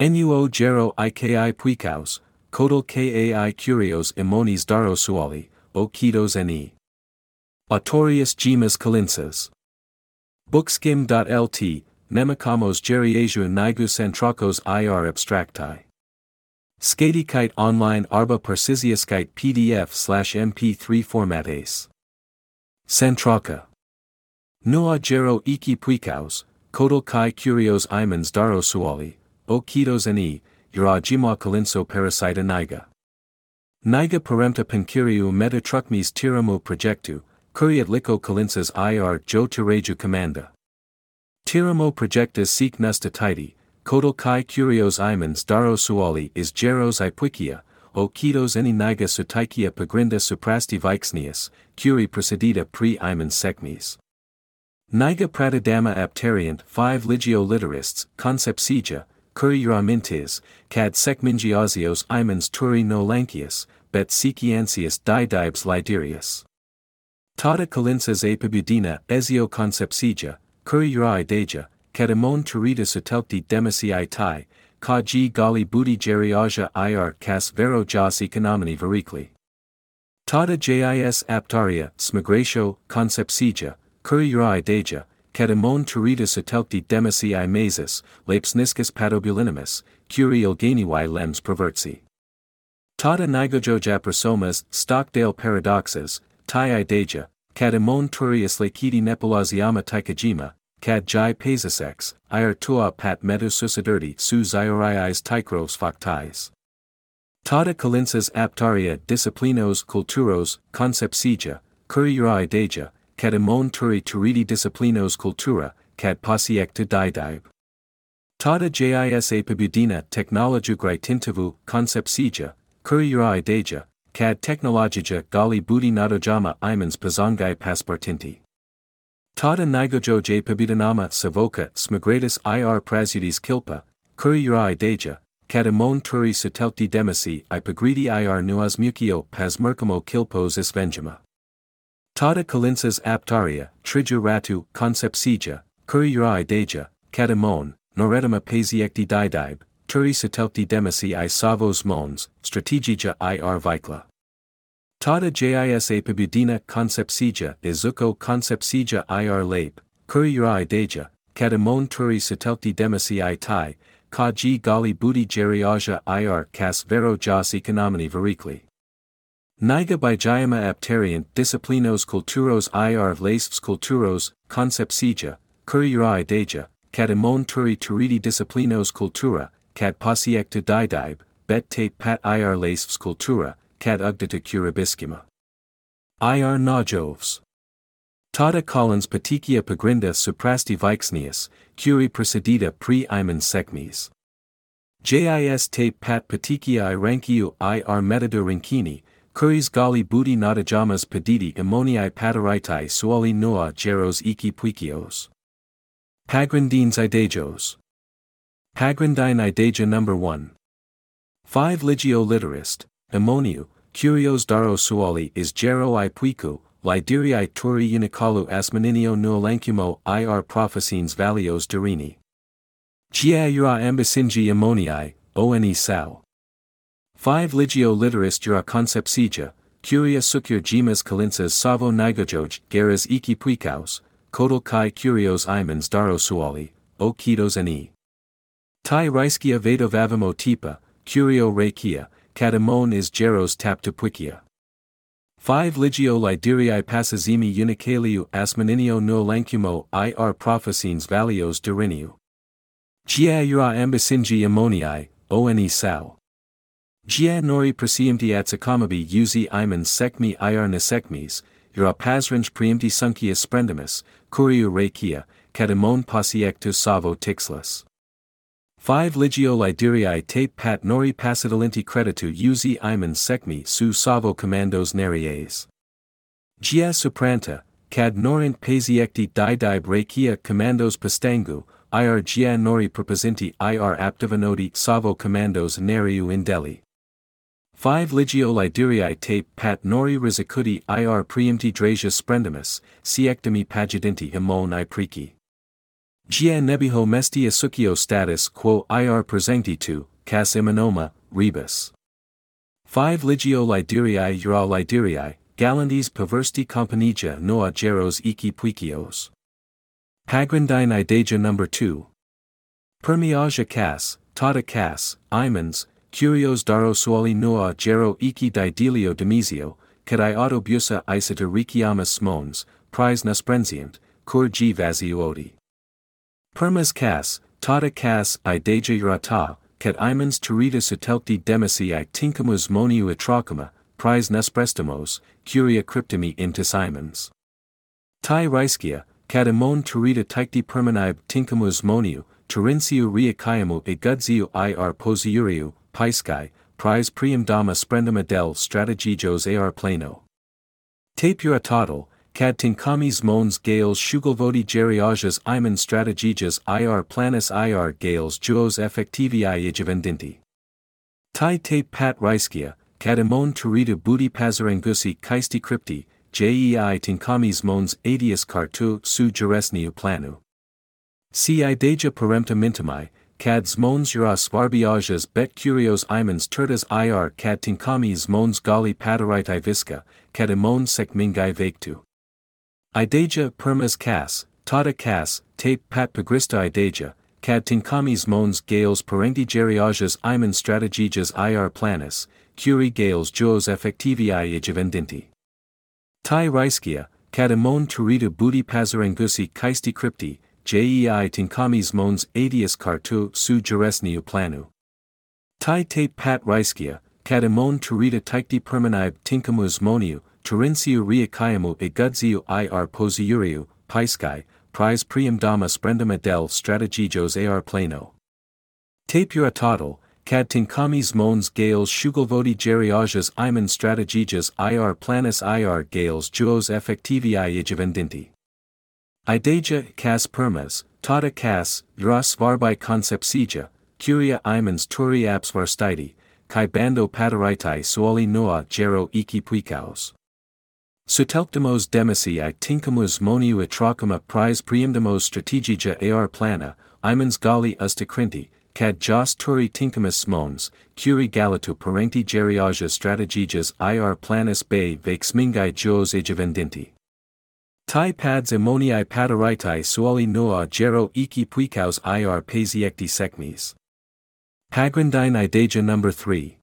Nuo gero iki puikaus, kodal kai curios imones darosuali, o kitos ne. Autorius gemas kalinsas. Bookskim.lt, nemikamos geriasiu nigus antrakos ir abstracti. Skatikite online arba parsisiaskite pdf/mp3 formates. Santraka. Nuo gero iki puikaus, kodal kai curios imans darosuali, o kitos ne, ura gima kalinso parasita niga. Niga paremta pankiriu metatrukmes tiramu projectu, kuriat liko kalinsas ir jo tiraju commanda. Tiramo projectus seek nusta titi, kodal kai curios imans darosuali is geros ipuikia, o kitos any niga sutaikia pagrinda suprasti vixnius, curi procedita pre imans sekmes. Niga pratidama aptarient 5 ligio literists, concepcija, curiura mintis, cad sekmingiosios imans turi no lancius, bet sequiansius didibes liderius. Tata kalinsas apibudina ezio concepcija, curiura ideja, cadamon turita sutelti demisi tai, ka g gali budi geriaja ir cas vero jas economini vericli. Tata jis aptaria, smigratio, concepcija, curiura ideja, cadamon turita sutelti demisi mesis, lapsniscus patobulinimus, curi ilganiwi lems perversi. Tata nigojoja persomas, Stockdale paradoxes, tai ideja, cadamon turius lakiti nepalaziama taikajima, cad jai pesasex, ir tua pat metu susidirti su zioriis tikros factais. Tata kalinsas aptaria disciplinos culturos, concepcija, curiura ideja, cadamon turi turidi disciplinos cultura, cad pasiecta didib. Tata jis apibudina technologiae tintivu, concepcija, curiura ideja, cad technologija gali budi nadojama imans pazangai paspartinti. Tata nigojoj apibudinama savoka smigratus ir prasudis kilpa, curiura ideja, cadamon turi sutelti demisi ipagridi ir nuas mucio pasmerkamo kilpos isvengima. Tata kalinsas aptaria, triju ratu, concepcija, curiura ideja, cadamon, noredama pasiecti didib, turi sutelti demisi I savos mons, strategija ir vikla. Tata jis apibudina concepcija izuko concepcija ir lape, curiura ideja, cadamon turi sutelti demisi tai, ka g gali budi geriaja ir cas vero jas economini vericli. Niga bijayama aptarient disciplinos culturos ir lasfs culturos, concepcija, curiura ideja, cadamon turi turidi disciplinos cultura, cad pasiecta didib, bet te pat ir lasfs cultura, cad ugdita curibiscima. Ir najovs. Tata collins patikia pagrinda suprasti vixnius, curi procedita pre imans sekmes. Jis te pat patikia rankiu ir metadu rinkini, curis gali budi nadajamas pediti ammoniae pataritai suali noa geros iki puikios. Pagrindines idejos. Pagrindine ideja number 1. 5 ligio literist, ammoniu, curios darosuali is gero I puiku, liderii turi unikalu asmaninio nuolancumo ir prophesines valios durini. Giaura ambisingi ammoniae, one sao. 5 ligio literist jura concepcija, curia sucur gemas kalinsas savo nigojoj geras iki puikaus, kodal kai curios imans darosuali, o kitos ne. Tai riskia vedovavimo tipa, curio rekia, cadamon is geros tapta puikia. 5 ligio liderii passazimi unicaliu asmaninio nuolancumo ir prophesines valios duriniu. Giaura ambisingi ammoniae, one sao. Gia nori presiemti atsakamabi uzi imans sekmi ir nesekmes, ura pasrange preemti sunkius sprendimus, curiu rekia, cadamon pasiectus savo tixlus. 5 ligio liderii tape pat nori passidalinti creditu uzi imans sekmi su savo commandos neries. Gia supranta, cad norint pasiecti didib rekia commandos pastangu, ir gia nori proposenti ir aptivanoti savo commandos neriu in Delhi. 5 ligio liderii tape pat nori rizicuti ir preemti drasia sprendimus, siectami pagidinti imon I preki. Gia nebiho mesti asukio status quo ir presentitu, cas imanoma, rebus. 5 Ligio Liderii Ura Liderii, Galandes perversti companigia noa geros iki puikios. Pagrindine Idaja number 2. Permiaja cas, tata cas, imans, curios daro suoli noa gero iki didelio demizio, cadai autobusa isata rikiamas smons, prize nasprenzient, cur g vaziuodi. Permas cas, tata cas Idaja urata, cat imans turita sutelti demisi I tincamus moniu atrocuma, prize nasprestamos, curia cryptimi intis imans. Tai Ryskia, cat amon turita ticti permanib tincamus moniu, Turenciu reaciamu egudziu ir posiuriu, Pisci, prize priam dama sprendum adel strategijos ar plano. Tapura total, cad tincamis mons gales shugalvodi geriajas iman strategijas ir planus ir gales juos effectivi igevendinti. Tai tape pat Ryskia, cad amon turita booty pazarangusi kaisti crypti, jei tincamis mons adius cartu su juresniu planu. Si Idaja parempta mintamai, cad mons juras varbiajas bet curios imans turtas ir cad tincamis mons gali padarite visca, cad amon sec mingai vectu. Idaja permas cas, tata cas, tape pat pagrista Idaja, cad tincamis mons gales parenti geriajas imans strategijas ir planus, curi gales juos effectivi igevendinti. Tai Ryskia, cad amon turita booty pazarangusi kaisti crypti, jei tincamis mons adius cartu su juresniu planu. Tai tape pat Ryskia, cad amon turita ticti permanib tincamus moniu, Turenciu reaciamu egudziu ir posiuriu, Pisci, prize priam dama sprendum adel strategijos ar plano. Tapura total, cad tincamis mons gales shugalvodi geriajas iman strategijas ir planus ir gales juos effectivi igevendinti. Idaja cas permas, tata cas, juras varbi concepcija, curia imans turi abs varstiti, kai bando padaritae suoli noa gero iki puicaos. Sutelptamos demisi I tincamus moniu atrocuma prize preimdamos strategija ar plana, imans gali usticrinti, cad jos turi tincamus smons, curi galatu parenti geriaja strategijas ir planus bei vexmingai juos igevendinti. Tai pads ammoniae padaritae suoli noa gero iki puicaos ir pasiecti secmis. Pagrindine Idaja number 3.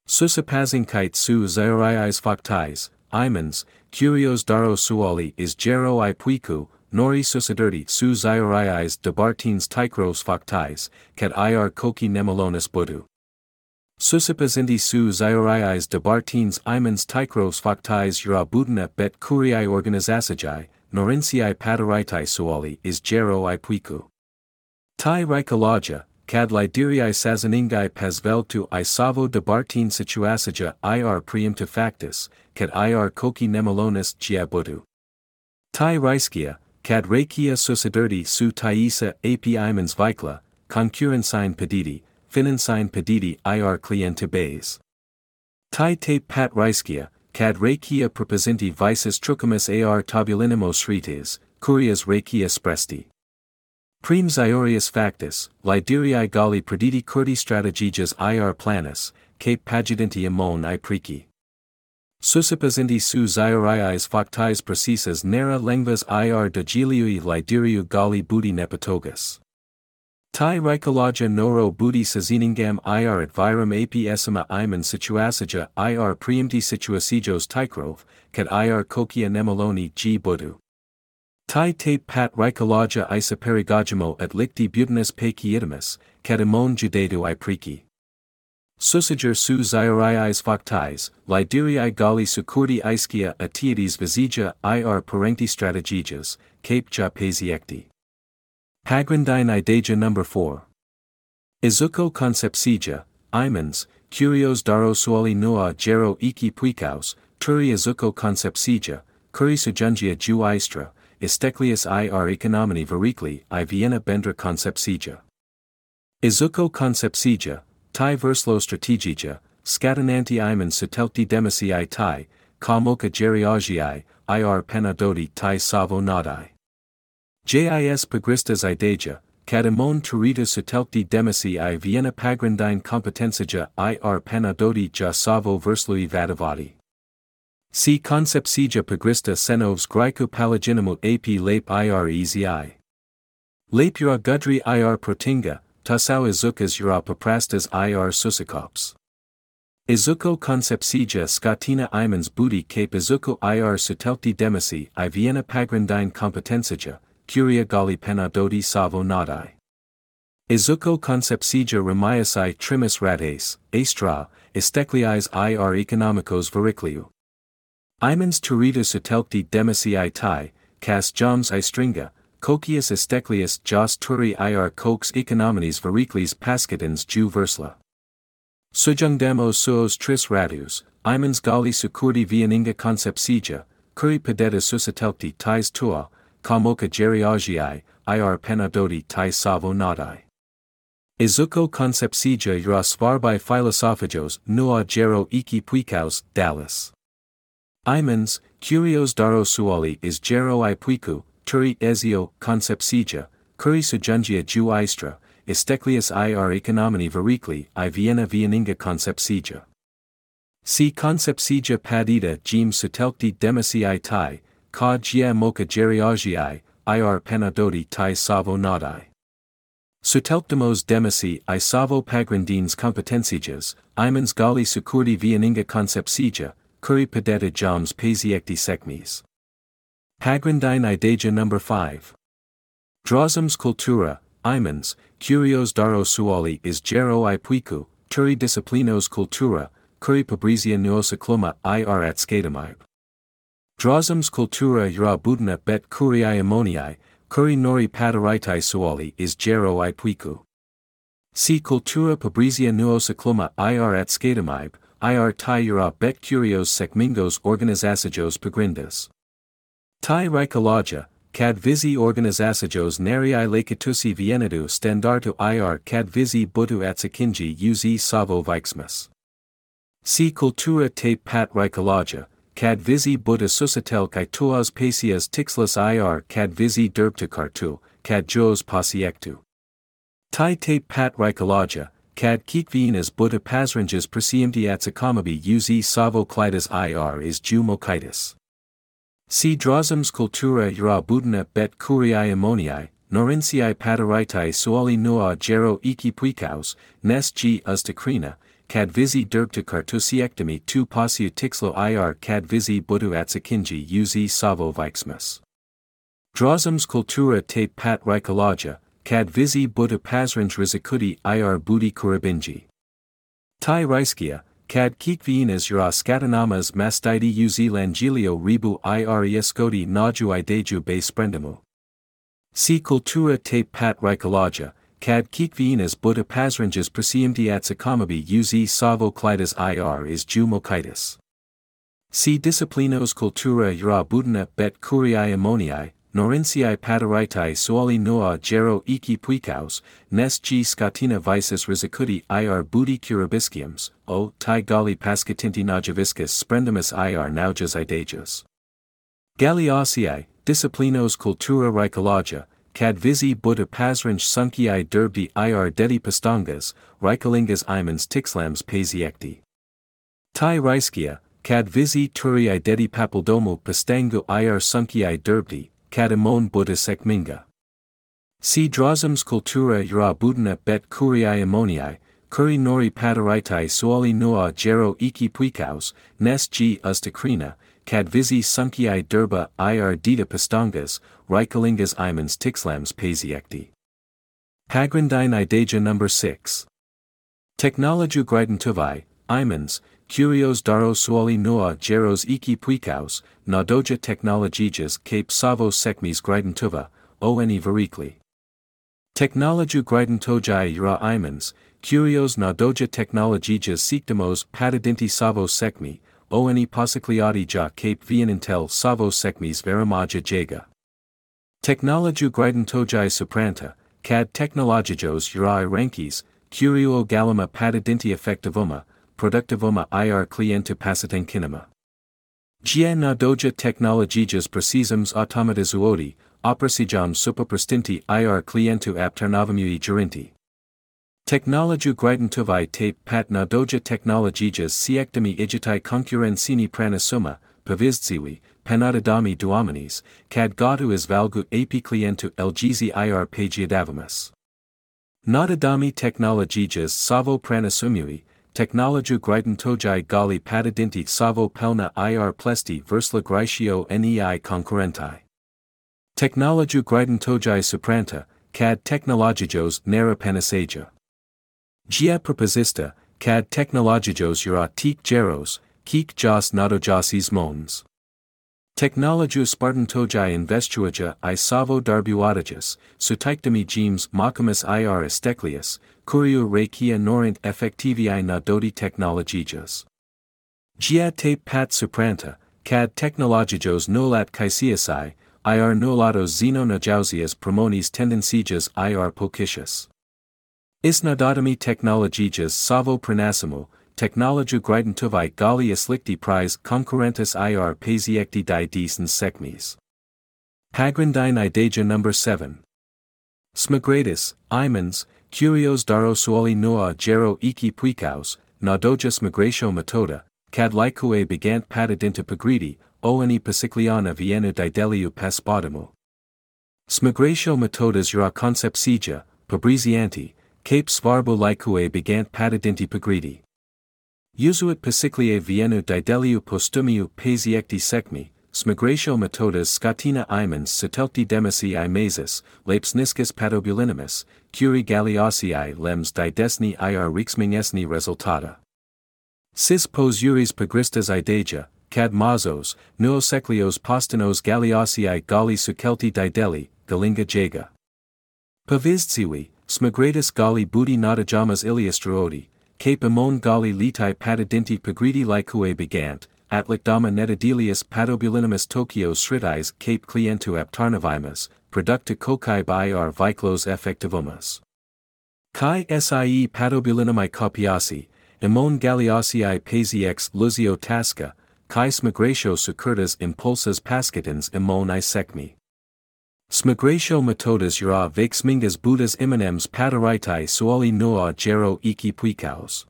Susapazingkite su zaioriais factais, imans, curios daro suoli is gero I puiku, nori susadirti su zaioriais debartines tikros factais, cat ir koki nemolonis budu. Susapazinti su zaioriais debartines imans tikros factais ura budina bet curiae organizasajai, norinciae padaritae suoli is gero I puiku. Tai Rykologia, cad lideriae sazaningai pasveltu I savo debartine situasaja ir preempta factus, cad ir koki nemolonis gia budu. Tai Ryskia, cad reikia susadirti su taisa ap imans vikla, concurrensine pediti, finansine pediti ir cliente bays. Tai tape pat Ryskia, cad reikia proposenti vices trucumus ar tabulinimos rites, curias reikia spresti. Prim Ziorius factus, lideriae gali prediti curti strategijas ir planus, cape pagidenti amon I preci. Susapazinti su Zioriais factais precisas nera lengvas ir degiliui lideriu gali budi nepatogus. Tai Rykologia noro budi saziningam ir advirum apsima iman situasaja ir preempti situasijos tikrov, cat ir kokia nemoloni g budu. Tai tape pat Rykologia isaperigagimo at licti butinus paciitimus, cat amon judetu I preci. Susager su Zioriais factais, lideriae gali sucurdi iscia atiedes visija ir parenti strategijas, cape ja pasiecti. Pagrindine Idaja number 4. Izuko concepcija, imans, curios daro suoli noa gero iki puicaos, turi izuko concepcija, curi sujungia ju istra, isteklius ir economini vericli I Vienna bendra concepcija. Izuko concepcija, tai verslo strategija, scatenanti iman sutelti demisi I tai, ka moka geriagiae, ir penadoti tai savo nadai. JIS pagristas ideja, kadamon turita sutelkti demisi I Vienna pagrindine competensija ir panadoti ja savo verslui vadavati. Si concepcija pagrista senovs Grico palaginamut ap lape ir ezi. Lape ura gudri ir protinga, tasau izukas ura paprastas ir susikops. Izuko concepcija scatina imans budi cape izuko ir sutelkti demisi I Vienna pagrindine competensija, curia gali panadoti savo nadai. Izuko concepcija remiasi trimis rates, astra, estekliais ir economicos vericliu. Imans turita sutelkti demisi I tai, cas joms I stringa, cocius esteklius jos turi ir cox econominis vericlis pascadens ju versla. Sujungdamos suos tris ratus, imans gali sucurdi vieninga concepcija, curi pedeta susitelkti tais tua, kamoka geriagii, ir panadoti tai savo nadai. Izuko concepcija ura svarbai philosophigos nua gero iki puikaus, dallas. Imans, curios daro suali is gero I puiku, turi ezio, concepcija, curi sujungia ju istra, esteklius ir economini vericli I Vienna vieninga concepcija. Si concepcija padita gem sutelkti demisi I tai, ka gia moka geriagii, ir panadoti tai savo nadai. Sutelkdamos demisi I savo pagrindines competensijas, imans gali sucurdi vieninga concepcija, curi pedeta joms pasiecti sekmis. Pagrindine ideja number 5. Drozums cultura, imans, curios daro suali is gero I puiku, turi disciplinos cultura, curi pabrizia nuosa cluma ir at skatamib. Drozums cultura ura budna bet curiae ammoniae, curi nori padaritai suali is gero I puiku. Si cultura pabrizia nuosa cluma ir at skatamib, ir tai ura bet curios sekmingos organizasajos pagrindas. Tai ricologia, cad visi organizasajos neri lacatusi vienedu standartu ir cad visi butu atsakinji uz savo vixmas. Si cultura tape pat ricologia, cad visi buta susatel kai tuas pasias tixlas ir cad visi derbta kartu, cad jos pasiectu. Tai tape pat ricologia, cad kikvinas buta pasranges persiemti atsakamabi uz savo klidas ir is ju mokitis. Si drozums cultura ura budna bet curiae ammoniae, norinciae padaritai suali nua gero iki puikaus, nes g ustacrina, cad visi derbta cartusiectomy tu pasiu tixlo ir cad visi butu atsakinji uz savo vixmas. Drozums cultura tape pat ricologia, cad visi buta pasrange rizicudi ir budi kurabinji. Tai riskia, cad kikvinas ura scatanamas mastidi uz langilio ribu ir escodi naju ideju be sprendamu. Si cultura tape pat ricologia, cad kikvinas buta pasranges persiemti atsakamabi uz savo klidas ir is ju mokitis. Si disciplinos cultura ura budna bet curiae ammoniae, norinciae padaritai suali nua gero iki puikaus, nes g scatina vices rizicudi ir budi curabisciums, o tai gali pascatinti najaviscus sprendamus ir naujas idejas. Galiaceae, disciplinos cultura ricologia, cad visi buta pasrange sunciae derbdi ir dedi pastangas, ricolingas imans tixlams pasiecti. Tai riskia, cad visi turi dedi papildomu pastangu ir sunciae derbdi, cadamon buta sekminga. Si drozums cultura ura budna bet curiae ammoniae, curi nori padaritai suali nua gero iki puikaus, nes g ustacrina, cad visi sunciae derba ir dita pastangas, ricolingas imans tixlams pasiecti. Pagrindine ideja number 6. Technologiu gridentuvae, imans, curios daro suali nua geros iki puikaus, nadoja technologijas cape savo sekmis gridentuva, oni vericli. Technologiu gridentojai ura imans, curios nadoja technologijas sikdamos patadinti savo sekmi, oni pasicliati ja cape vienintel savo sekmis veramaja jega. Technologiu gridentojai supranta, cad technologijos ura rankis, curio galima patadinti effectivuma, productivuma ir clientu pasitenkinema. Gia nadoja technologijas precisums automatizuoti, oprasijam superprestinti ir clientu aptarnavamui gerinti. Technologiu gridentuvai tape pat na doja technologijas siectami igitai concurrencini pranasuma, pavizdziwi, panadadami duominis, cad gotu is valgu api clientu lgzi ir pagiadavamus. Nadadami technologijas savo pranasumui, technologiu gridentojai gali padadinti savo pelna ir plesti versla gritio nei concurrentai. Technologiu gridentojai supranta, cad technologijos nera panasaja. Gia proposista, cad technologijos ura tic geros, kik jas nadojasis mons. Technologiu spartantojai investuaja I savo darbuadajas, sutaictami gemes macamus ir esteklius, curiu rekia norint effectivi na dodi technologijas. Gia tape pat supranta, cad technologijos nolat caesiasai, ir nolatos xeno najausias promonis tendencijas ir pocitius. Isnadotami technologijas savo pranasimo, technologiu gridentuvai gali islicti prize concurrentus ir pasiecti die decens secmes. Pagrindine ideja number 7. Smigratis, imens, curios daro suoli noa gero iki puicaus, nadoja smigratio metoda, cad lycue begant patadinta pagridi, oni pasicliana vienu dideliu paspodimo. Smigratio metodas ura concepcija, pabrizianti, cape svarbo lycue begant patadinti pagridi. Usuit pasiclie vienu dideliu postumiu pasiecti secmi, smigratio metodas scatina imens satelcti demisi imasis, lapsniscus patobulinimus, curi galiosii lems didesni ir rixmingesni resultata. Sis pos uris pagristas ideja, cad mazos, nuoseclios postinos galiosii gali sucelti dideli, galinga jega. Pavizdziwi, smigratis gali budi nadajamas iliastruodi, cape amon gali litai patadinti pagridi lycue begant, atlicdama netadelius patobulinimus Tokyo sritais cape clientu aptarnavimus, producta cocae ir viclos effectivumus. Kai sie patobulinumi copiasi, amon galiosii pasiex luzio tasca, kai smigratio sucurtas impulsas pascitans amon I secmi. Smigratio metodas ura vexmingas budas immanems pataritai suoli noa gero iki puicaus.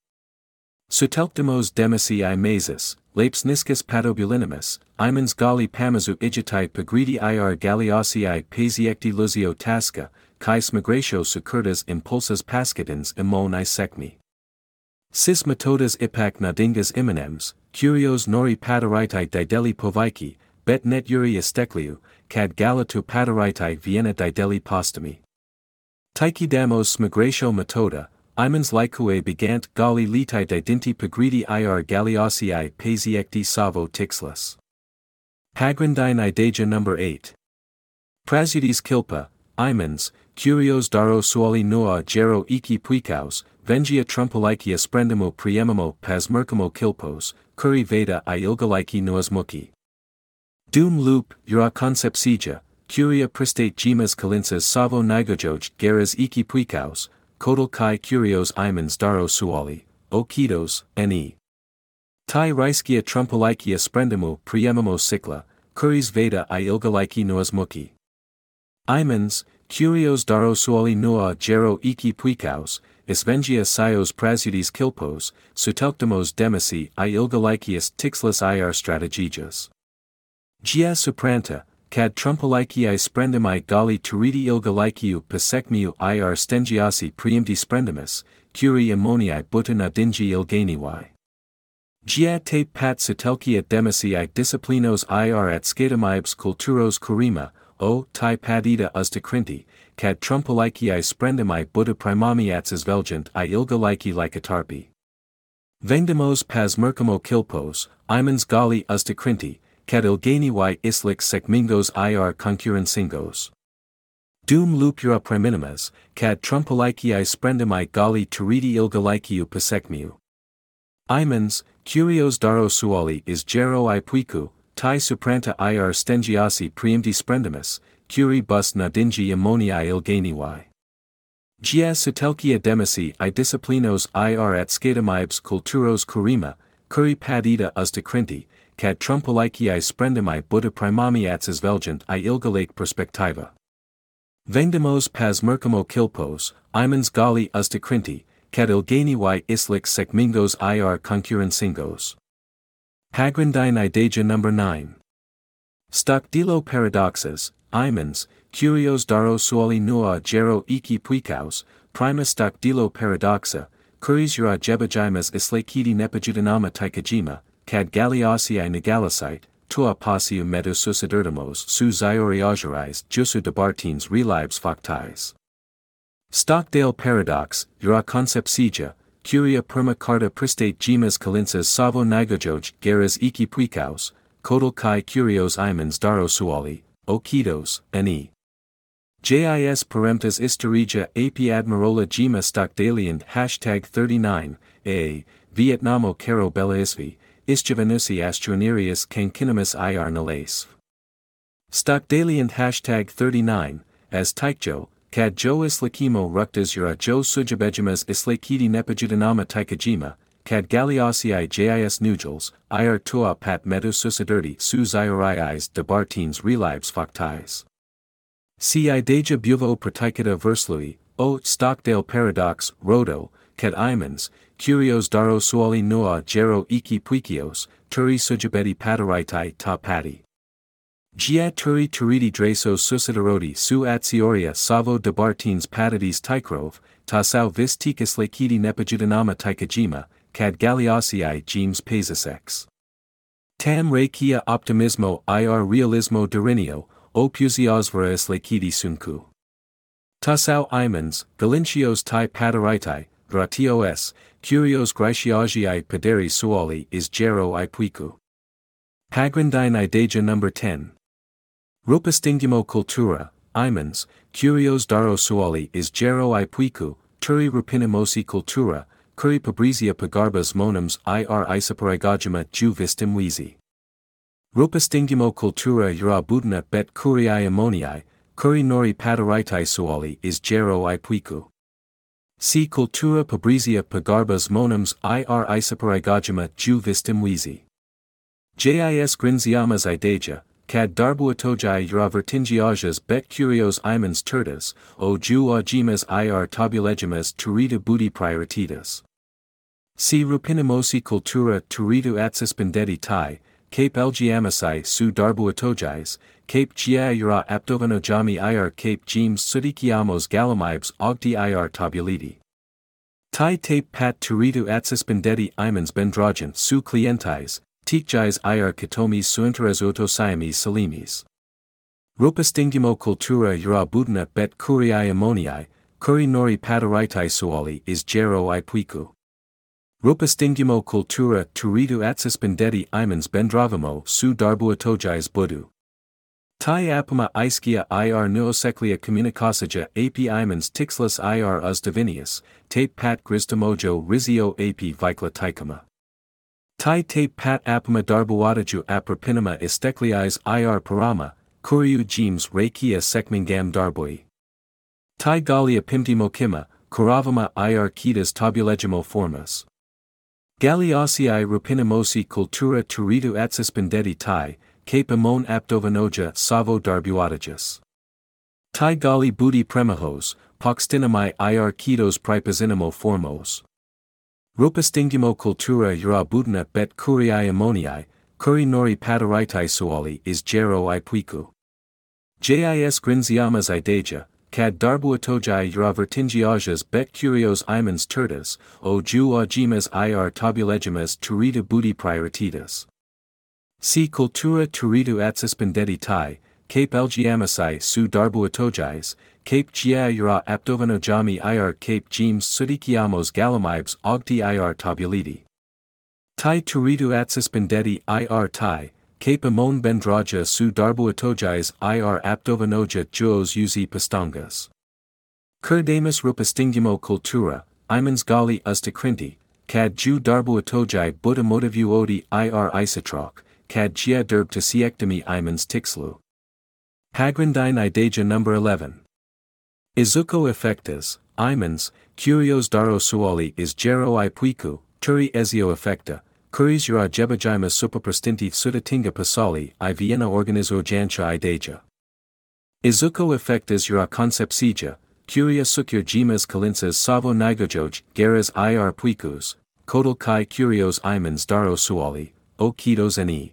Sutelctimos demisi imasis, lapsniscus patobulinimus, imens gali pamazu igitai pagridi ir galiosii pasiecti luzio tasca, kai smigratio sucurtas impulsas pascitans amon I secmi. Sis metodas ipac nadingas immanems, curios nori pataritai dideli povaiki, bet net uri estekliu, cad galatu pataritai vienna dideli postumi. Taichidamos smigratio metoda, imens lycue begant gali litai didinti pagridi ir galiosii pasiecti savo tixlus. Pagrindine ideja number 8. Prasudis kilpa, imens, curios daro suoli noa gero iki puicaus, vengia trumpalicia sprendimo priemimo pasmercamo kilpos, curi veda I ilgaliki noasmuki. Dum loop, ura concepcija, curia pristate gemas calinsas savo nigojoj geras iki puicaus, kodal kai curios imens daro suoli, o kitos, ne. Tai riskia trumpalicia sprendimo priemimo cicla, curis veda I ilgaliki noasmuki. Imens, curios daro suoli noa gero iki puicaus, isvengia sios prasudis kilpos, sutelctimos demisi I ilgalicius tixlus ir strategijas. Gia supranta, cad trumpaliciae sprendimi gali turidi ilgaliciu pasecmiu ir stengiasi priimti sprendimus, curi ammoniae buta nadingi ilganiwi. Gia tape pat sutelcia demisi I disciplinos ir at scadamibs culturos curima, o tai padida usticrinti, cad trumpaliciae sprendimi buta primamiats velgent I ilgalici licatarpi. Vendemos pasmercamo kilpos, imens gali usticrinti, cad ilganiwi islic secmingos ir concurrencingos. Dum lupura priminimas, cad trumpaliciae sprendimi gali turidi ilgaliciu pasecmiu. Imens, curios daro suoli is gero I puicu, tai supranta ir stengiasi priimti sprendimus, curi bus nadingi ammoniae ilganiwi. Gia sutelcia demisi I disciplinos ir at scadamibs culturos curima, curi padida usticrinti, kad trumpeliki sprendimai būtų primami atsižvelgiant į ilgalaik perspektyvą. Vengdamos pasmerkimo kilpos, įmonės gali užtikrinti, kad ilgainiui išliks sėkmingos ir konkurencingos. Pagrindinė idėja number 9. Stabdylo paradoxas, įmonės, kurios daro suolį nuo gero iki puikaus, prima stabdylo paradoxa, kuris yra gebėjimas išlaikyti nepajudinamą tikėjimą, kad galiausiai negalasite, tuo pačiu metu susidurdamos su įvairiausiais jūsų dabartiniais realybės faktais. Stockdale paradox yra koncepcija, kuria pirmą kartą pristatymas kalinsas savo neigojos geras iki puikaus, kodėl kai kurios įmonės daro suolį, o kitos, ne. JIS paremtas istorija apie admirola gima stockdaliant #39, Vietnamo karo belaisvi, išgyvenusi aštuonerias kankinimas ir nelaisv. Stockdaliant #39, as taikjo, kad jo islakimo ruktas yra jo sugebėjimas išlaikyti nepajudinamą tikėjimą, kad galiausiai JIS nugels, ir tuo pat metu susidurti su įvairiais dabartiniais realybės faktais. Si idėja buvo pritaikyta verslui, o Stockdale paradox rodo, kad įmonės, kurios daro suolį nuo gero iki puikios, turi sugebėti padaryti tą patį. Jie turi turėti drąsos susidoroti su atsioria savo dabartiniais padėties tikrove, tačiau vis tik išlaikyti nepajudinamą tikėjimą, kad galiausiai jiems pasiseks. Tam reikia optimismo ir realismo darinio, o pusiausvyrą išlaikyti sunku. Tačiau įmonės, galinčios tai padaryti, gratios, kurios graciosiai padari suolį gero puiku. Pagrindinė idėja number 10. Rūpestingumo kultūra, įmonės, kurios daro suolį gero puiku, turi rūpinimosi kultūra, kuri pabrėžia pagarbos žmonėms ir įsipareigojimą jų vystymuisi. Rūpestingumo kultūra yra būtina bet kuriai įmonei, kuri nori padaryti suolį gero puiku. Si kultūra pabrėžia pagarbos žmonėms ir įsipareigojimą jų vystymuisi. JIS grindžiamas idėja, kad darbuotojai yra vertingiausias bet kurios įmonės turtas, o jų augimas ir tobulėjimas turėtų būti prioritetas. Si rūpinimosi kultūra turėtų atsispindėti tai, kaip elgiamasi su darbuotojais, kaip jie yra apdovanojami ir kaip jiems suteikiamos galimybės augti ir tobulėti. Tai taip pat turėtų atsispindėti įmonės bendraujant su klientais, tikrais ir kitomis suinteresuotosiomis šalimis. Rūpestingumo kultūra yra būtina bet kuriai įmonei, kuri nori padaryti suolį gero puiku. Rūpestingumo kultūra turėtų atsispindėti įmonės bendravimo su darbuotojais būdu. Tai apima aiškia ir nuoseklia komunikacija apie įmonės tikslas ir uždavinius, taip pat grįžtamojo ryšio apie veiklą taikomą. Tai taip pat apima darbuotojų aprūpinimą ištekliais ir parama, kurių jiems reikia sėkmingam darbui. Tai gali apimti mokymą, kuravimą ir kitas tobulėjimo formas. Galiausiai rūpinimosi kultūra turėtų atsispindėti tai, kaip įmonė apdovanoja savo darbuotojus. Tai gali būti premijos, pakstinimai ir kitos pripažinimo formos. Rūpestingumo kultūra yra būtina bet kuriai įmonei, kuri nori padaryti suolį gero puiku. JIS grindžiamas idėja, kad darbuotojai yra vertingiausias bet kurios įmonės turtas, o jų augimas ir tobulėjimas turėtų būti prioritetas. Si kultūra turėtų atsispindėti tai, kaip elgiamasi su darbuotojais, kaip jie yra apdovanojami ir kaip jiems suteikiamos galimybės augti ir tobulėti. Tai turėtų atsispindėti ir tai, kaip įmonė bendrauja su darbuotojais ir apdovanoja juos jų pastangas. Kurdamas rūpestingumo kultūrą, įmonės gali užtikrinti, kad jų darbuotojai būtų motyvuoti ir įsitrauk, kad jie dirbtų siekdami įmonės tikslų. Pagrindinė idėja number 11. Izuko efektas, įmonės, kurios daro suolį gero puiku, turi ezio efektą, curis ura jebajimus superprostinti sudatinga pasali I Vienna organizo jancha I deja. Izuko effectas ura concepcija, curia sucur gemas calinsas savo nigojoj, geras ir puicus, kodal kai curios imans daro suali, o kitos ni.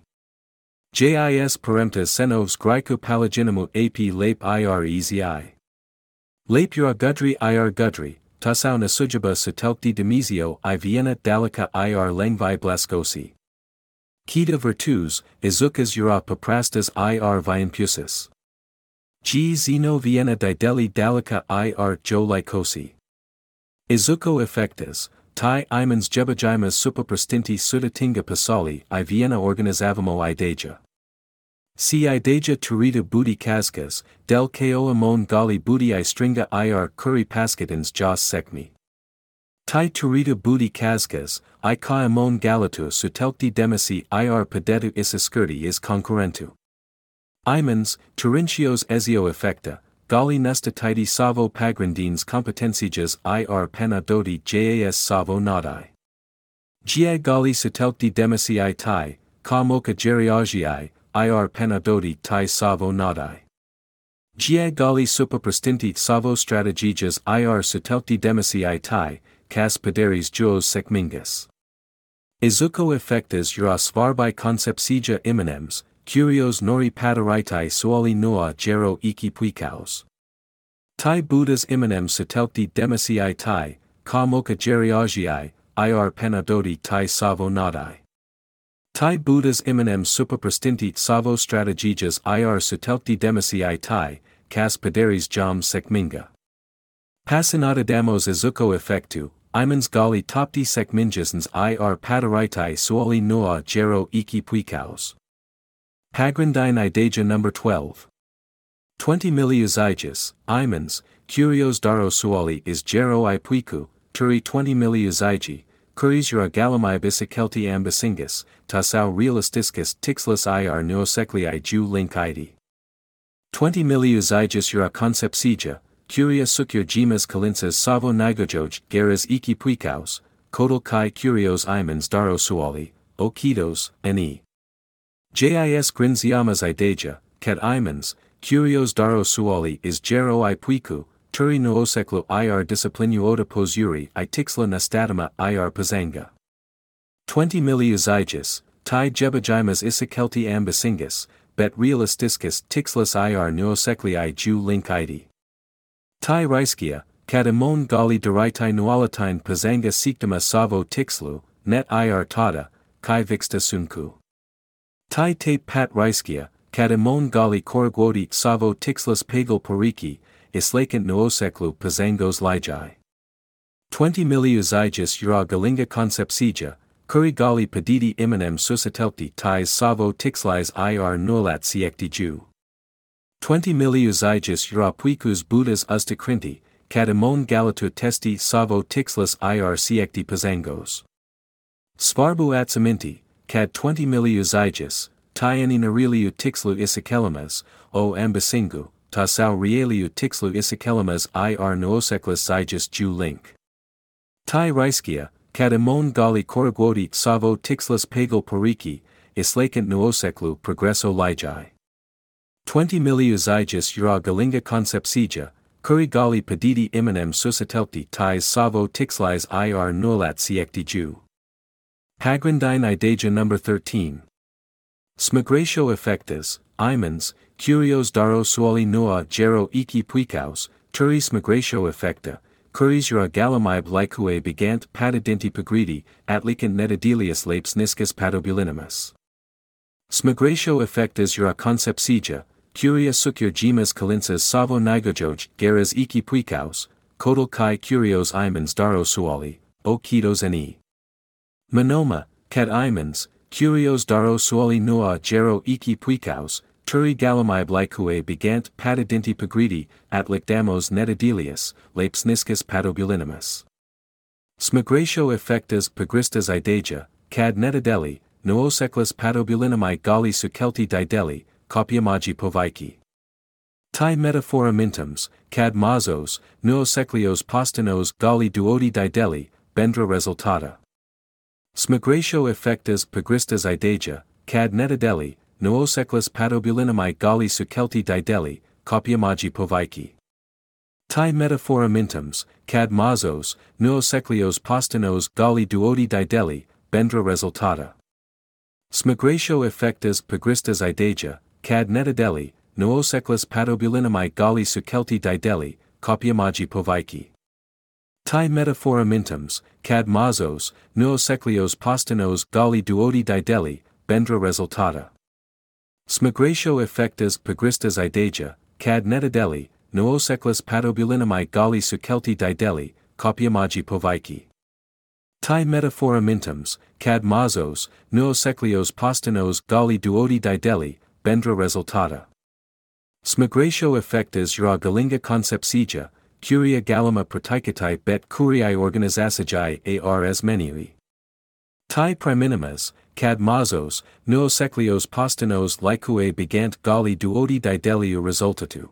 Jis peremptas senovs grico palaginamu ap lape ir ezi. Lape ura gudri ir gudri, tasau nasujaba sutelkti demizio I Vienna dalica ir lengvi blascosi. Kita virtus, izukas ura paprastas ir viampusis. G zeno Vienna dideli dalica ir jo lycosi. Izuko effectas, tai imans jebajimas superprostinti sudatinga pasali I Vienna organizavamo I deja. Si I deja turita budi kaskas, del ko amon gali budi I stringa ir kuri paskatins jos sekmi. Tai turita budi kaskas, I ka amon galatu sutelkti demisi ir pedetu isiskurti is concurrentu. Imans, Turintios ezio effecta, gali nestatiti savo pagrindines competencijas ir panadoti jas savo nadai. Gia gali sutelkti demisi I tai, ka moka geriagii, ir panadoti tai savo nadai. Gia gali superprostinti savo strategijas ir sutelkti demisi I tai, kas pederis jos sekmingas. Izuko effectas ura svarbai concepcija immanems, curios nori padaritai suali noa gero iki puikaus. Tai buddhas immanem sutelkti demisi I tai, ka moka geriagii, ir panadoti tai savo nadai. Tai buddhas immanem superprostinti savo strategijas ir sutelkti demisi I tai, kas pederis jam sekminga. Passinatadamos izuko effectu, imans gali topti sekminjasens ir padaritai suali noa gero iki puikaus. Pagrindine ideja number 12. 20 miliuziges, imans, curios daro suali is gero I puiku, turi 20 miliuzigi, curis ura galamai bisikelti ambisingus, tasau realistiscus tixlus ir neoseklii ju link id. 20 miliuziges ura concepcija, curia sucur gemas calinsas savo nigojoj geras iki puikaus, kodal kai curios imans daro suali, o kitos, ni. Jis grinziamas ideja, ket imans, curios daro suali is gero I puiku, turi nooseklo ir disciplinuota posuri I tixla nastatama ir pazanga. 20 miliuziges, tai jebajimas isikelti ambisingus, bet realistiscus tixlas ir nooseklii ju link id. Tai riskia, kat amon gali deritai nualatine pazanga siktama savo tixlu, net ir tada, kai vixta sunku. Tai tape pat riskia, kat amon gali korguoti savo tixlas pagal poriki, islakant nooseklu pazangos lijai. 20 miliuziges ura galinga concepcija, kuri gali pediti immanem susatelti tais savo tixlais ir nulat siekti ju. 20 miliuziges ura puikus buddhas ustakrinti, kat amon galatu testi savo tixlas ir siekti pazangos. Svarbu atsaminti, kat 20 miliuziges, tai nariliu tixlu isikelamas, o ambisingu, tasau realiu tixlu isikelamas ir nooseklas ziges ju link. Tai riskia, kat amon gali korguoti savo tixlas pagal poriki, islakant nooseklu progresso lijai. 20 miliuziges ura galinga concepcija, kuri gali pediti immanem susatelti tais savo tixlais ir nulat siekti ju. Pagrindine ideja number 13. Smigratio effectas, imans, curios daro suali noa gero iki puikaus, turi smigratio effecta, curis ura galamib lycue begant patidinti pagridi, atlicant netadelius lapes niscus patobulinimus. Smigratio effectas ura concepcija, curia sucur gemas calinsas savo nigojoj geras iki puikaus, kodal kai curios imans daro suali, o kitos ni. Monoma, ket imans, curios daro suali noa gero iki puikaus, turi galamib lycue begant patidinti pagridi, atlicdamos netadelius, lapes niscus patobulinimus. Smigratio effectas pagristas ideja, cad netadeli, nooseklas patobulinami gali sukelti dideli, copiamagi povaiki. Tai metaphora mintums, cad mazos, nooseklios postinos gali duodi dideli, bendra resultata. Smigratio effectas pagristas ideja, cad netadeli, nooseklas patobulinamai gali sukelti dideli, copiamagi povaiki. Tai metaphora mintums, cad mazos, nooseklios postanos gali duodi dideli, bendra resultata. Smigratio effectas pagristas ideja, cad netadeli, nooseklas patobulinamai gali sukelti dideli, copiamagi povaiki. Tai metaphora mintums, cad mazos, nooseklios postanos gali duodi dideli, bendra resultata. Smigratio effectas pagristas ideja, cad netadeli, nooseklas patobulinamai gali sukelti dideli, copiamagi povaiki. Tai metaphora mintums, cad mazos, nooseklios postanos gali duodi dideli, bendra resultata. Smigratio effectas ura galinga concepcija, curia galima praktikatai bet curiae organizacijai ars menui. Tai priminimas, cad mazos, nooseklios postanos likue begant gali duodi dideliu resultatu.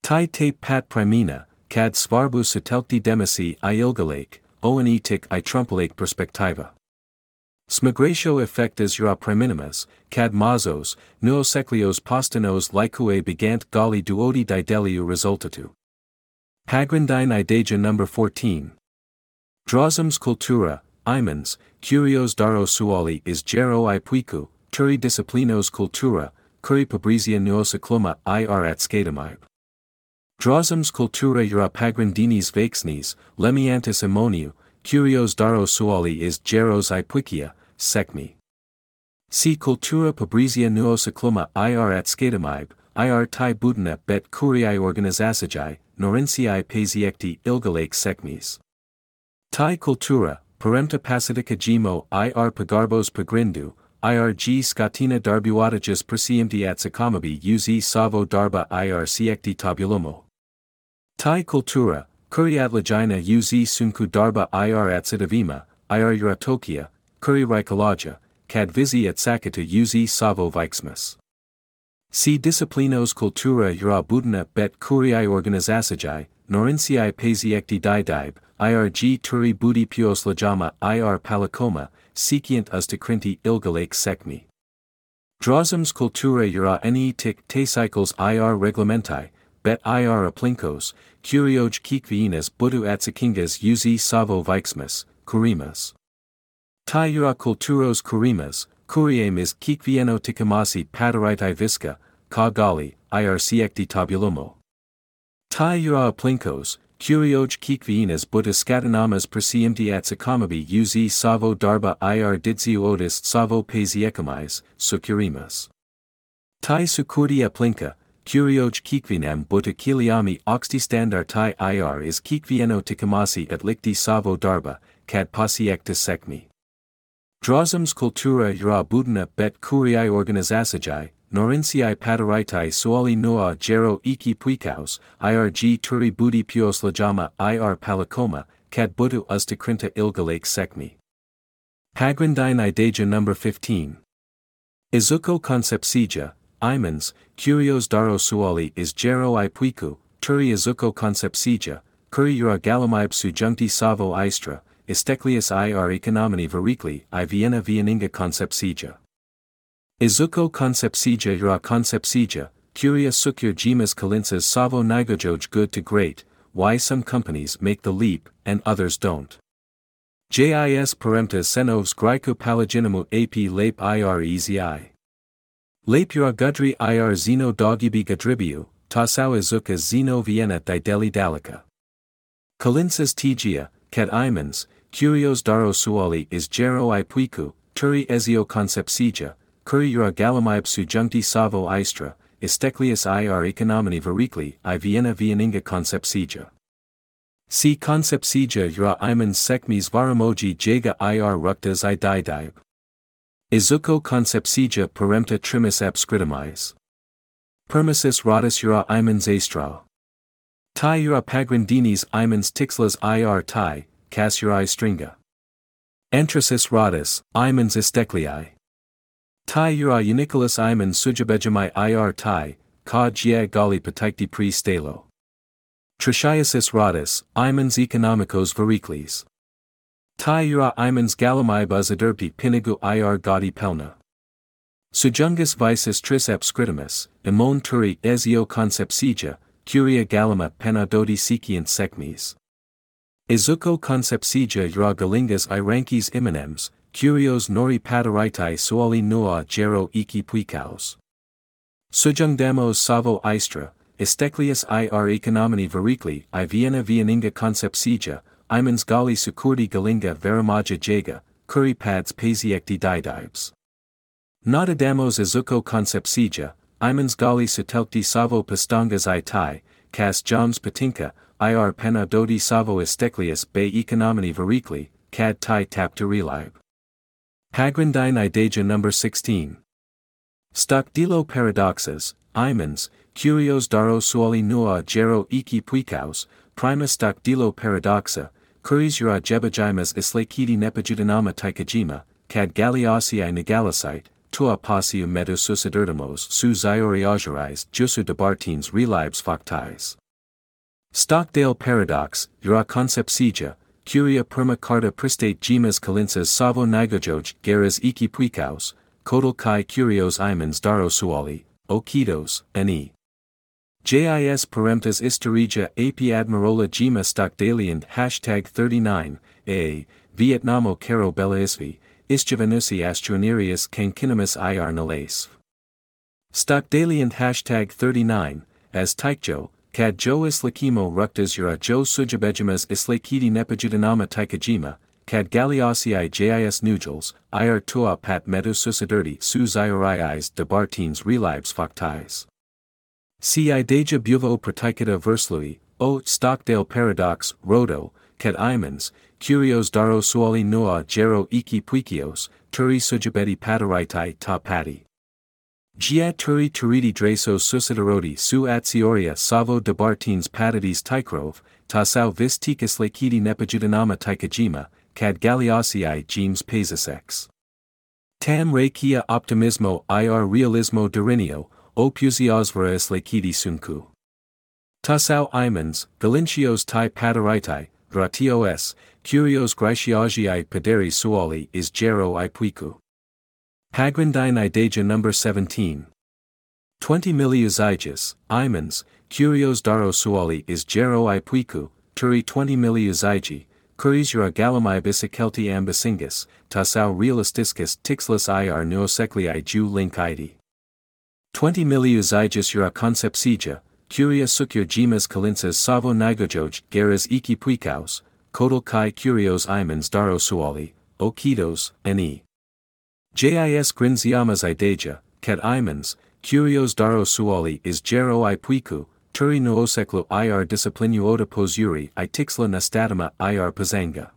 Tai tape pat primina, cad svarbu sutelkti demisi I ilgalake, oenetic I trumpelake perspectiva. Smigratio effectas ura priminimas, cad mazos, nooseklios postanos likue begant gali duodi dideliu resultatu. Pagrindine ideja number 14. Drozums cultura, imens, curios daro suali is gero I puiku, turi disciplinos cultura, curi pabrizia noosekluma ir at skatamib. Drozums cultura ura pagrindinis vexnis, lemiantis ammoniu, curios daro suali is geros I puikia, sekmi. Si cultura pabrizia noosekluma ir at skatamib, ir tai budina bet curiae organizacijai, norinci pasiekti ilgalake sekmis. Tai cultura, paremta pacifica gimo ir pagarbos pagrindu, irg scatina darbuatages persiemti at sakamabi uz savo darba ir siekti tabulomo. Tai cultura, kuriatlagina uz sunku darba ir at sidavima, ir uratokia, kuri rikalaja, cad vizi at sakata uz savo vixmas. Si disciplinos cultura ura budina bet curiae organizacijai, norinci pasiekti didib, irg turi budi pios lajama ir palacoma, secient ustakrinti ilgalake sekmi. Drozums cultura ura netic te cycles ir reglementai, bet ir aplinkos, curioj kikviinas budu atsakingas uz savo vixmas, kurimas. Tai ura culturos kurimas, curiemis kikvieno tikamasi padaraitai visca, ka gali, ir siekti tabulomo. Tai ura aplinkos, curioj kikviinas buta scatanamas persiemti at sakamabi uz savo darba ir didziu otis savo pasiekamiz, sukurimas. Tai sukurdi aplinka, curioj kikvinam buta kiliami oxti standar tai ir is kikvieno tikamasi at likti savo darba, cad pasiekta sekmi. Drozums cultura ura budina bet curiae organizacijai, norinci padaraitai suali noa gero iki puikaus, irg turi budi pios lajama ir palacoma, cad budu ustakrinta ilgalake sekmi. Pagrindine ideja number 15. Izuko concepcija, imens, curios daro suali is gero I puiku, turi izuko concepcija, curi ura galamib sujuncti savo istra, isteklius ir economini varikli I viena vieninga concepcija. Izuko concepcija ura concepcija, curia sucur gemas kalinsas savo nigojoj good to great, why some companies make the leap, and others don't. Jis paremptas senovs grico palaginamu ap lape ir ezi. Lape ura gudri ir zeno dogibi gadribiu, tasau izuka zeno vienna dideli dalika. Kalinsas tgia, cad imens, curios daro suali is gero I puiku, turi ezio concepcija, curi ura galamib sujuncti savo istra, isteklius ir economini varikli I viena vieninga concepcija. Si concepcija ura imens sekmis varamoji jaga ir ruktas I didib. Izuko concepcija parempta trimis abscritamiz. Permissus ratus ura imens astrao. Tai ura pagrindinis imens tixlas ir tai, cas ura stringa. Entrasis ratus, imens istekliai. Tai ura unicolus imens sujabejamai ir tai, ka gia gali patikti pre stalo. Tritiasis ratus, imens economicos variklis. Tai ura imans galamai buzaderpi pinigu ir gaudi pelna. Sujungus vices triceps scritimus, imon turi ezio concepcija, curia galama pena dodi siciant secmes. Izuko concepcija ura galingas iranquis iminems, curios nori padaraitai suali nua gero iki puikaus. Sujungdamos savo istra, Esteklius ir economini verikli I Vienna vieninga concepcija, imans gali sukurdi galinga veramaja jaga, kuri pads pasiekti didibes. Nadadamos izuko concepcija, imans gali sutelkti savo pastangas I tai, kas jams patinka, ir pena dodi savo esteklius be economini verikli, kad tai tapta relib. Pagrindine ideja number 16. Stokdilo paradoxes, imans, curios daro suali nua gero iki puikaus, prima stokdilo paradoxa, kuris ura jebajimas islakidi nepajudinama taikajima, kad galiasiai negalisite, tua pasiu metu susiderdamos su ziori ajurais jusu debartines relibes factais. Stockdale paradox, ura concepcija, curia perma carta pristate gemas kalinsas savo nigojoj geras iki puikaus, kodal kai curios imans daro suali, okidos, ne. JIS peremptas historia ap admirola gema stockdalian #39, Vietnamo caro bellisvi, ischivanusi astronerius cancinimus ir nales. Stockdalian #39, as taikjo, kad jo islakimo ruktas ura jo sujabejimas islakidi nepajudinama taikajima, kad galiasiai jis nugels, ir tua pat metu susiderti su zioriis debartines relibes factais. Si ideja buvo pratikata verslui, o Stockdale paradox, rodo, kad imans, curios daro suali noa gero iki puikios, turi sujabeti padaraitai ta pati. Gia turi turidi dreso susideroti su atsioria savo debartines patadis taikrov, ta sau vis tikas lakidi nepajudinama taikajima, kad galiasiai gemes pesasex. Tam re kia optimismo ir realismo dorinio, opusiosveras lakidi sunku. Tasau imans, galincios tai padaraitai, gratios, curios gratiagiai paderi suali is gero I puiku. Pagrindine ideja number 17. 20 miliuziges, imans, curios daro suali is gero I puiku, turi 20 miliuzigi, kuris ura galamai bisikelti ambisingus, tasau realistiscus tixlus ir neoseclii ju link id. 20 miliuziges ura concepcija, curia sucur gemas kalinsas savo nigojoj geras iki puikaus, kodal kai curios imans daro suali, okidos, ne. JIS grinziamas ideja, kad imans, curios daro suali is gero I puiku, turi nooseklu ir disciplinuota posuri I tixla nastatama ir pazanga.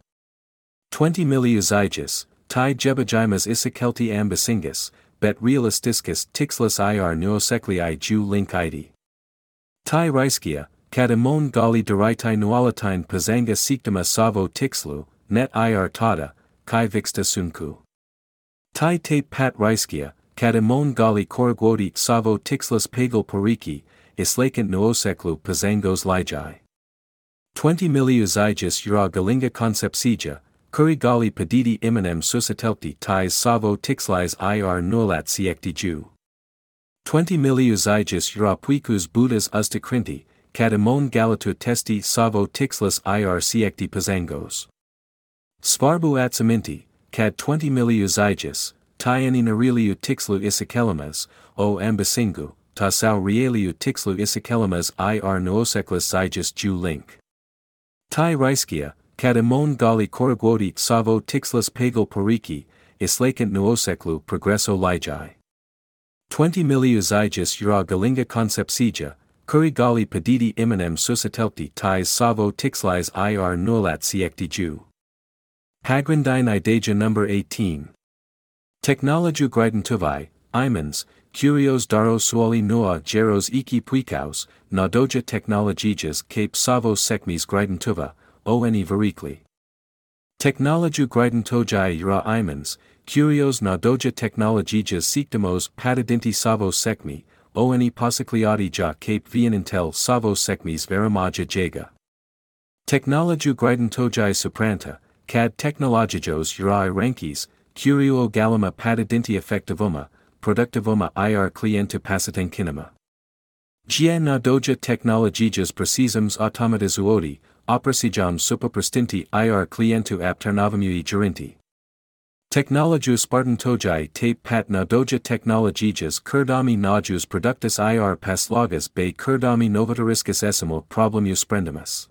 20 miliuziges, tai jebajimas isikelti ambisingus, bet realistiscus tixlus ir noosekli ju link id. Tai riskia, kad imon gali deraitai nualatine pazanga siktama savo tixlu, net ir tada, kai vixta sunku. Tai tape pat riskia, kad imon gali korguodi savo tixlus pagal poriki, islakant nooseklu pazangos lijai. 20 miliuziges ura galinga concepcija, kuri gali padidi iminem susitelti tais savo tixlais ir nulat siekti ju. 20 miliuziges ura puikus budas ustakrinti, kad imon galatu testi savo tixlus ir siekti pazangos. Svarbu atsaminti, kad 20 miliuziges, tai nariliu tixlu isikelamas, o ambisingu, tasau realiu tixlu isikelamas ir nooseklas ziges ju link. Tai riskia, kad imon gali korguodi savo tixlus pagal poriki, islakant nooseklu progresso lijai. 20 miliuziges ura galinga concepcija, kuri gali padidi iminem susitelti tais savo tixlais ir nulat siekti ju. Pagrindine ideja number 18. Technologiu gridentuvai, imans, curios daro suali noa geros iki puikaus, nadoja technologijas cape savo sekmis gridentuva, one verikli. Technologiu gridentojai ura imans, curios nadoja technologijas siktamos patadinti savo sekmi, one pasikliati ja cape vienintel savo sekmis veramaja jaga. Technologiu gridentojai supranta, cad technologijos uri rankis, curio galima patidinti effectivuma, productivuma ir cliente pasitenkinema. Gia na doja technologijas precisums automatizuoti, operasijam superprestinti ir clientu apternavamui gerinti. Technologius spartantojai tape pat na doja technologijas kurdami najus productus ir paslogas bei kurdami novatoriscus esimo problemius sprendimus.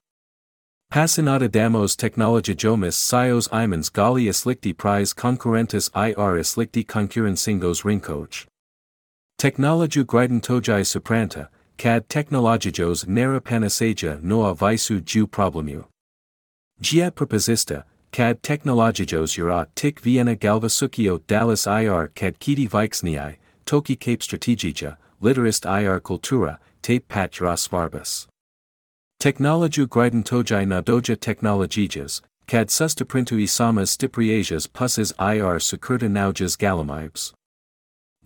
Passinata damos technologijomis sios imans gali islicti prize concurrentus ir islicti concurren singos rinkoj. Technologiu gridentojai supranta, cad technologijos nera panaceja noa visu ju problemu. Gia proposista, cad technologijos ura tic Vienna galvasucio Dallas ir cad kiti vixniai, toki cape strategija, literist ir cultura, tape pat juras svarbus. Technologiu gridentojai na doja technologijas, cad sustaprintu isamas stipriajas pusses ir sucurta naujas galamibes.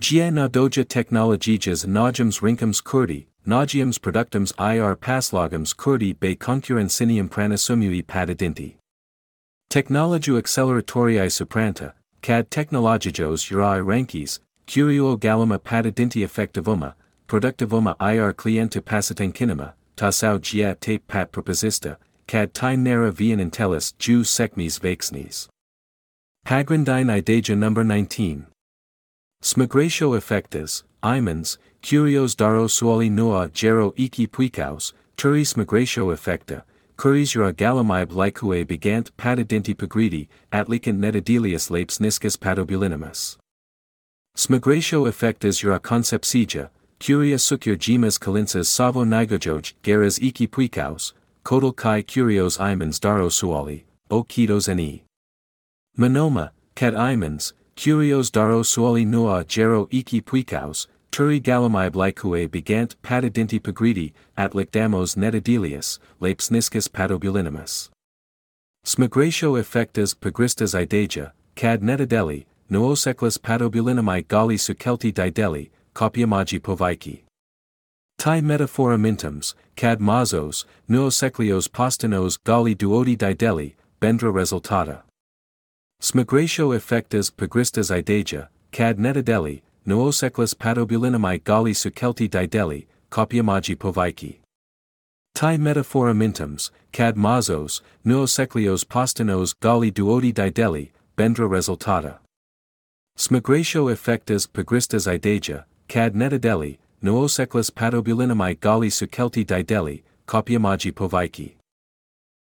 Gia na doja technologijas nagiums rinkums kurdi, nagiums productums ir paslogums kurdi bei concurren sinium pranasumui patidinti. Technologiu acceleratoriae supranta, cad technologijos uri rankis, curio galima patidinti effectivuma, productivuma ir cliente pasitenkinema, tasau gia tape pat proposista, cad time nera vian intellis ju secmis vexnis. Pagrindine ideja number 19. Smigratio effectus, imans, curios daro suoli noa gero iki puicaus, turis migratio effecta, curis ura galamib lycue begant patidinti pagridi, atlicant netadelius lapes niscus patobulinimus. Smigratio effectus ura concepcija, curia sucur gemas calinsas savo nigojoj geras iki puicaus, codal kai curios imans daro suoli, o kitos ne. Monoma, cad imans, curios daro suoli noa gero iki puicaus, turi galamib lycue begant patidinti pagridi, atlic damos netadelius, lapes niscus patobulinimus. Smigratio effectus pagristas ideja, cad netadeli, nooseclis patobulinami gali sucelti dideli, copiamagi povaiki. Tai metaphora mintums, cad mazos, nooseclios postinos gali duodi dideli, bendra resultata. Smigratio effectus pagristas ideja, cad netadeli, nooseclis patobulinami gali sucelti dideli, copiamagi povaiki. Tai metaphora mintums, cad mazos, nooseclios postinos gali duodi dideli, bendra resultata. Smigratio effectus pagristas ideja, cad netadeli, nooseclis patobulinami gali sucelti dideli, copiamagi povaiki.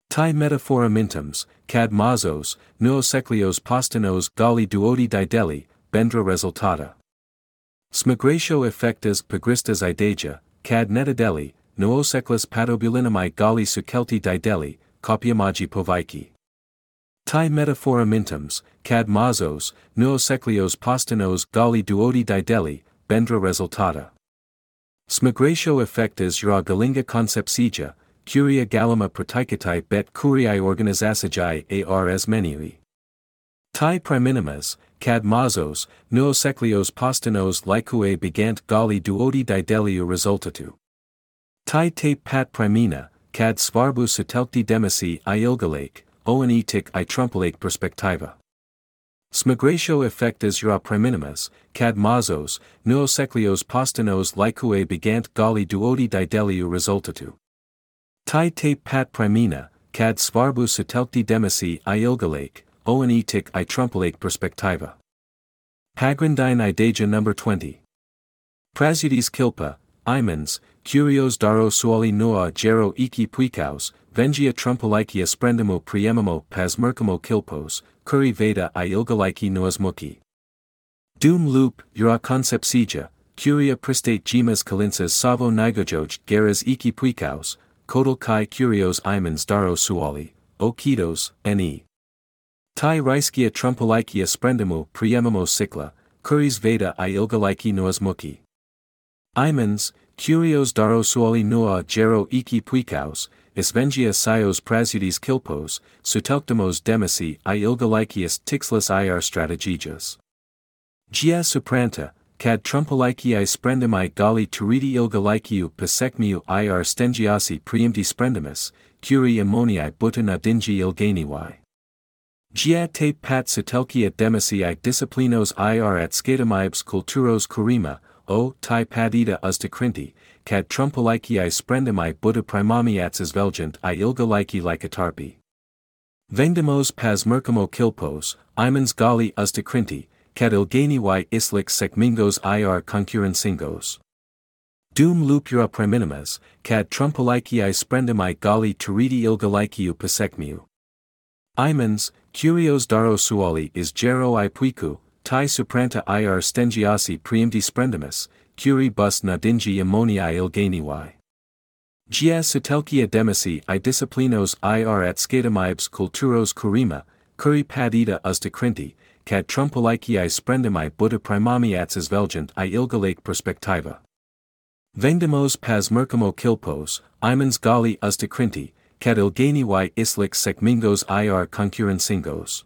Tai metaphora mintums, cad mazos, nooseclios postinos gali duodi dideli, bendra resultata. Smigratio effectus pagristas ideja, cad netadeli, nooseclis patobulinami gali sucelti dideli, copiamagi povaiki. Tai metaphora mintums, cad mazos, nooseclios postinos gali duodi dideli, bendra resultata. Smigratio effectus ura galinga concepcija, curia galima praktikatai bet curiae organizacijai ars menui. Tai priminimas, cad mazos, nooseclios postinos lycue begant gali duodi dideliu resultatu. Tai tape pat primina, cad svarbu sutelti demisi ilgalake, oenetic I trumpelake perspectiva. Smigratio effectus ura priminimas, cad mazos, nooseclios postinos lycue begant gali duodi dideliu resultatu. Tai tape pat primina, cad svarbu sutelti demisi ilgalake, oenetic I trumpelake perspectiva. Pagrindine ideja number 20. Prasudis kilpa, imans, curios daro suoli noa gero iki puicaus, vengia trumpelicia sprendimo priemimo pasmercamo kilpos, curi veda I ilgalaiki noas muki. Dum loop, ura concepcija, curia pristate gemas calinsas savo nigojoj geras iki puicaus, codal kai curios imans daro suoli, o kitos, ne. Tai riskia trumpelicia sprendimo priemimo cicla, curis veda I ilgalaiki noas muki. Imans, curios daro suoli noa gero iki puicaus, isvengia sios prasudis kilpos, sutelctamos demisi I ilgalicius tixlis ir strategijas. Gia supranta, cad trumpeliciae sprendimi gali turidi ilgaliciu pasecmiu ir stengiasi priimti sprendimus, curi ammoniae butina dingi ilganiwi. Gia tape pat sitelki at demisi I disciplinos ir at skatamibes kulturos kurima, o tai padita ustakrinti, cat trumpaliki I sprendami buddha primami atsas velgent I ilgaliki likatarpi. Vendemos pas mercamo kilpos, imans gali ustakrinti, cat ilgani y islik sekmingos ir concurrencingos. Doom lupura priminimas, cat trumpaliki I sprendami gali turidi ilgaliki pasekmiu. Imans, curios daro suali is gero I puiku, tai supranta ir stengiasi priimdi sprendimus, curi bus nadingi ammonia ilgani y. Gia satelkia demisi I disciplinos ir at skatamibes kulturos kurima, kuri padita ustakrinti, cat trumpaliki I sprendami buddha primami atsas velgent I ilgalake perspectiva. Vendemos pas mercamo kilpos, imans gali ustakrinti, cat ilgani y islik sekmingos ir concurrencingos.